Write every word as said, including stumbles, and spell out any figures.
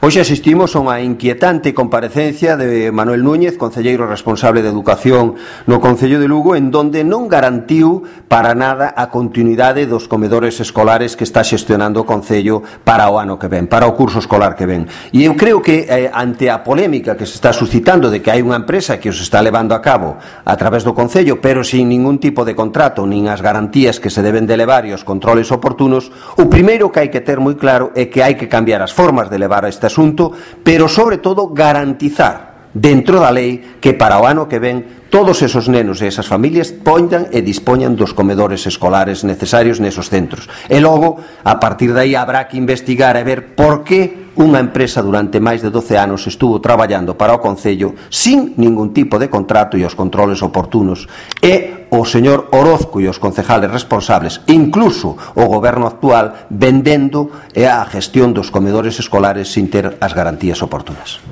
Hoxe asistimos a unha inquietante comparecencia de Manuel Núñez, concelleiro responsable de Educación no Concello de Lugo, en donde non garantiu para nada a continuidade dos comedores escolares que está xestionando o Concello para o ano que ven, para o curso escolar que ven. E eu creo que eh, ante a polémica que se está suscitando de que hai unha empresa que os está levando a cabo a través do Concello, pero sin ningún tipo de contrato, nin as garantías que se deben de levar e os controles oportunos, o primeiro que hai que ter moi claro é que hai que cambiar as formas de levar este asunto, pero sobre todo garantizar dentro da lei que para o ano que ven todos esos nenos e esas familias poñan e dispoñan dos comedores escolares necesarios nesos centros. E logo, a partir de aí, habrá que investigar e ver por que unha empresa durante máis de doce anos estuvo traballando para o Concello sin ningún tipo de contrato e os controles oportunos. E o señor Orozco e os concejales responsables, incluso o goberno actual, vendendo a gestión dos comedores escolares sin ter as garantías oportunas.